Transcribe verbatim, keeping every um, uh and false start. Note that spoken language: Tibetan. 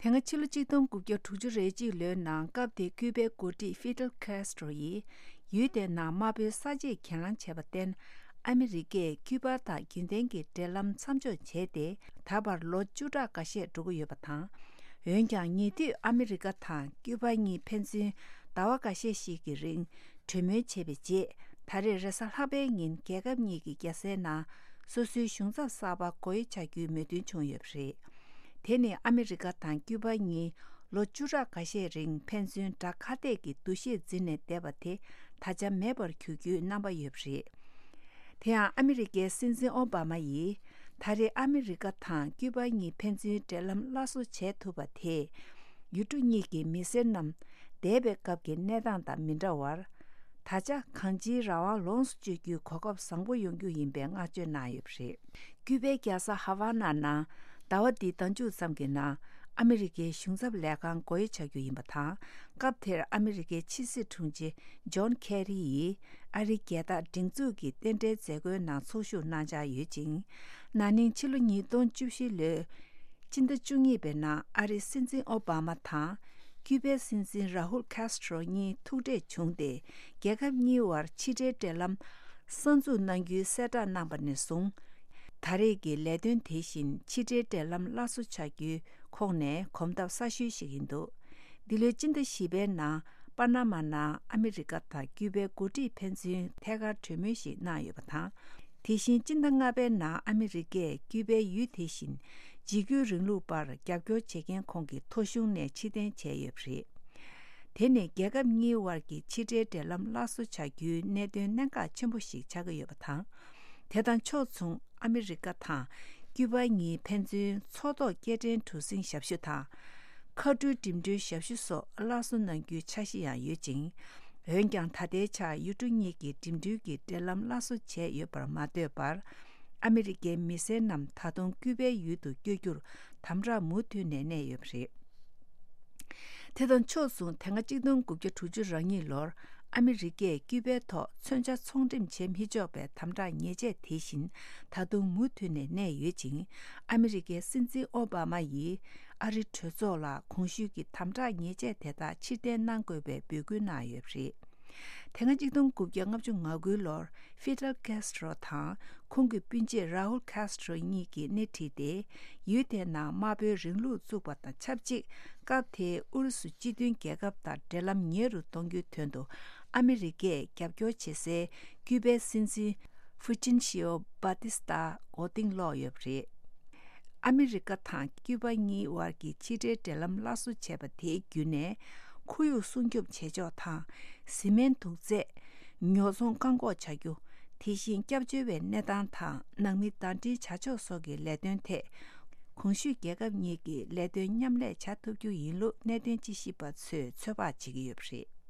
དེ་སྔ་ཕྱི་ལོ་གཅིག་སྟོང་དགུ་བརྒྱ་དྲུག་ཅུ་རེ་གཅིག་ལོའི་ནང་སྐབས་དེའི་ཀུའུ་པའི་འགོ་ཁྲིད་ཧྥི་ཏེལ་ཁེ་སི་ཏྲོ་ཡིས་ཡུལ་དེའི་ནང་དམར་པོའི་ས་བཅད་གྱེན་ལངས་བྱས་པར་བརྟེན། ཨ་མི་རི་ཀས་ཀུའུ་པ་དང་རྒྱུན་ལྡན་གྱི་འབྲེལ་ལམ་མཚམས་འཇོག་བྱས་ཏེ། ད་བར་ལོ་བཅུ་ཕྲག་འགའ་ཤས་འགྲོ་གི་ཡོད་པ་དང་། འོན་ཀྱང་ཉེ་དུས་ཨ་མི་རི་ཀ་དང་ཀུའུ་པ་གཉིས་ཕན་ཚུན་ཟླ་བ་འགའ་ཤས་ཤིག་གི་རིང་གྲོས་མོལ་བྱས་པའི་རྗེས། ད་རེས་རེས་གཟའ་ལྷག་པའི་ཉིན་རྒྱལ་ཁབ་གཉིས་ཀྱི་རྒྱལ་སའི་ནང་སོ་སོའི་གཞུང་ཚབ་གསར་པ་སྒོ་དབྱེ་བྱ་རྒྱུའི་མོས་མཐུན་བྱུང་ཡོད་པ་རེད། དེ་ནི་ཨ་མི་རི་ཀ་དང་ཀུའུ་པ་གཉིས་ལོ་བཅུ་ཕྲག་འགའ་ཤས་རིང་ཕན་ཚུན་དགྲ་ཁ་གཏད་ཀྱི་འདུ་ཤེས་འཛིན་ནས་བསྡད་པ་དེ་ད་ཆ་མེད་པར་གྱུར་རྒྱུའི་རྣམ་པ་ཡོད་པ་རེད། དེ་ཡང་ཨ་མི་རི་ཀའི་སྲིད་འཛིན་ཨོ་བྷ་མ་ཡིས། ད་རེས་ཨ་མི་རི་ཀ་དང་ཀུའུ་པ་གཉིས་ཕན་ཚུན་འབྲེལ་ལམ་སླར་གསོ་བྱས་ཐུབ་པ་དེས། ཡུལ་གྲུ་གཉིས་ཀྱི་མི་སེར་རྣམས་འདས་པའི་སྐབས་ཀྱི་གནས་སྟངས་དང་མི་འདྲ་བར། ད་ཆ་གང་ཅིའི་རང་དབང་ལོངས་སུ་སྤྱོད་རྒྱུའི་གོ་སྐབས་བཟང་པོ་ཡོང་རྒྱུ་ཡིན་པའི་བསྔགས་བརྗོད་གནང་ཡོད་པ་རེད། ཀུའུ་པའི་རྒྱལ་ས་ཧ་ཝ་ན་ནང་ཟླ་བ་འདིའི་ཟླ་མཇུག་ཙམ་གྱི་ནང་ཨ་མི་རི་ཀའི་གཞུང་ཚབ་ལས་ཁང་སྒོ་དབྱེ་བྱ་རྒྱུ་ཡིན་པ་དང་། སྐབས་དེར་ཨ་མི་རི་ཀའི་ཕྱི་སྲིད་དྲུང་ཆེ་ཇོན་ཁེ་རི་ཡིས་ཨ་རིའི་རྒྱལ་དར་སྒྲེང་འཛུགས་ཀྱི་རྟེན་འབྲེལ་མཛད་སྒོའི་ནང་ཚོགས་ཞུགས་གནང་འཆར་ཡོད་ཅིང་། ན་ནིང་ཕྱི་ལོ་ཉིས་སྟོང་བཅུ་བཞི་ལོའི་སྤྱི་ཟླ་བཅུ་གཉིས་པའི་ནང་ཨ་རིའི་སྲིད་འཛིན་ཨོ་བྷ་མ་དང་ཀུའུ་པའི་སྲིད་འཛིན་ར་ཧུལ་ཁེ་སི་ཏྲོ་གཉིས་ཐུག་འཕྲད་བྱུང་སྟེ། རྒྱལ་ཁབ་གཉིས་བར་ཕྱི་འབྲེལ་འབྲེལ་ལམ་གསར་འཛུགས་གནང་རྒྱུའི་གསལ་བསྒྲགས་གནང་པ་ནས་བཟུང་། ད་རེས་ཀྱི་ལས་དོན་དེ་བཞིན་ཕྱི་འབྲེལ་འབྲེལ་ལམ་སླར་གསོ་བྱ་རྒྱུའི་ཁོངས་ནས་གོམ་སྟབས་གསར་ཤོས་ཤིག་ཡིན་འདུག་འདི་ལོའི་སྤྱི་ཟླ་བཞི་པའི་ནང་པ་ན་མ་ནང་ཨ་མི་རི་ཀ་དང་ཀུའུ་པའི་འགོ་ཁྲིད་ཕན་ཚུན་ཐད་ཀར་གྲོས་མོལ་ཞིག་གནང་ཡོད་པ་དང་། དེ་བཞིན་སྤྱི་ཟླ་ལྔ་པའི་ནང་ཨ་མི་རི་ཀས་ཀུའུ་པའི་ཡུལ་དེ་བཞིན་འཇིགས་སྐུལ་རིང་ལུགས་པར་རྒྱབ་སྐྱོར་བྱེད་མཁན་ཁོང་གི་ཐོ་གཞུང་ནས་ཕྱིར་འཐེན་བྱས་ཡོད་པ་རེད། དེ་ནི་རྒྱལ་ཁབ་གཉིས་བར་གྱི་ཕྱི་འབྲེལ་འབྲེལ་ལམ་སླར་གསོ་བྱ་རྒྱུའི་གནད་དོན་གནད་འགག་ཆེན་པོ་ཞིག་ཆགས་ཀྱི་ཡོད་པ་དང་། དེ་དང་ཕྱོགས་མཚུངས་ཨ་མི་རི་ཀ་དང་ཀུའུ་པ་གཉིས་ཕན་ཚུན་མཚོ་ཐོག་སྐྱེལ་འདྲེན་གྲུ་གཟིངས་ཞབས་ཞུ་དང་། མཁའ་འགྲུལ་འགྲིམ་འགྲུལ་ཞབས་ཞུ་སོགས་སླར་གསོ་གནང་རྒྱུའི་འཆར་གཞི་ཡང་ཡོད་ཅིང་། འོན་ཀྱང་ད་ལྟའི་ཆར་ཡུལ་གྲུ་གཉིས་ཀྱི་འགྲིམ་འགྲུལ་གྱི་འབྲེལ་ལམ་སླར་གསོ་བྱས་ཡོད་པར་མ་ལྟོས་པར། ཨ་མི་རི་ཀའི་མི་སེར་རྣམས་ད་དུང་ཀུའུ་པའི་ཡུལ་དུ་བསྐྱོད་རྒྱུར་དམ་དྲག་མུ་མཐུད་ནས་གནས་ཡོད་པ་རེད། དེ་དང་ཕྱོགས་མཚུངས་དེ་སྔ་གཅིག་སྟོང་དགུ་བརྒྱ་དྲུག་ཅུ་རེ་གཉིས་ལོར་ཨ་མི་རི་ཀས་ཀུའུ་པའི་ཐོག་མཚོན་ཆ་ཚོང་འགྲེམས་བྱེད་མི་ཆོག་པའི་དམ་དྲག་ཉེས་ཆད་དེ་བཞིན་ད་དུང་མུ་མཐུད་ནས་གནས་ཡོད་ཅིང་། ཨ་མི་རི་ཀའི་སྲིད་འཛིན་ཨོ་བྷ་མ་ཡིས་ཨ་རིའི་གྲོས་ཚོགས་ལ་གོང་ཞུས་ཀྱི་དམ་དྲག་ཉེས་ཆད་དེ་དག་ཕྱིར་འཐེན་གནང་དགོས་པའི་འབོད་སྐུལ་གནང་ཡོད་པ་རེད། དེ་སྔ་གཅིག་སྟོང་དགུ་བརྒྱ་ལྔ་བཅུ་ང་དགུ་ལོར་ཧྥི་ཏེལ་ཀེ་སི་ཏྲོ་དང་ཁོང་གི་སྤུན་མཆེད་ར་ཧུལ་ཀེ་སི་ཏྲོ་གཉིས་ཀྱིས་སྣེ་ཁྲིད་དེ། ཡུལ་དེའི་ནང་དམར་པོའི་རིང་ལུགས་བཙུགས་པ་དང་ཆབས་ཅིག་སྐབས་དེའི་ཨུ་རུ་སུ་སྤྱི་མཐུན་རྒྱལ་ཁབ་དང་འབྲེལ་ལམ་ཉེ་རུ་གཏོང་རྒྱུའི་དོན་དུ་ཨ་མི་རི་ཀས་རྒྱབ་སྐྱོར་བྱེད་སའི་ཀུའུ་པའི་སྲིད་འཛིན་ཧྥུ་ཅིན་ཤིའོ་བྷ་ཏི་སྟ་མགོ་རྟིང་སློག་ཡོད་པ་རེད། ཨ་མི་རི་ཀ་དང་ཀུའུ་པ་གཉིས་བར་གྱི་ཕྱི་འབྲེལ་འབྲེལ་ལམ་སླར་གསོ་བྱས་པ་དེའི་བརྒྱུད་ནས། ཁོར་ཡུག་སྲུང་སྐྱོབ་བྱེད་ཕྱོགས་དང་། བཟི་སྨན་དུག་རྫས། ཉོ་ཚོང་བཀག་འགོག་བྱ་རྒྱུ། དེ་བཞིན་སྐྱབས་བཅོལ་བའི་གནས་སྟངས་དང་ནང་མི་ཟླ་སྒྲིལ་བྱ་ཕྱོགས་སོགས་ཀྱི་ལས་དོན་ཐད། གོང་ཞུས་རྒྱལ་ཁབ་གཉིས་ཀྱིས་ལས་དོན་མཉམ་ལས་བྱ་ཐུབ་རྒྱུ་ཡིན་ལུགས་གནད་དོན་དཔྱད་ཞིབ་པ་ཚོས་ཚོད་དཔག་བྱེད་ཀྱི་ཡོད་པ་རེད།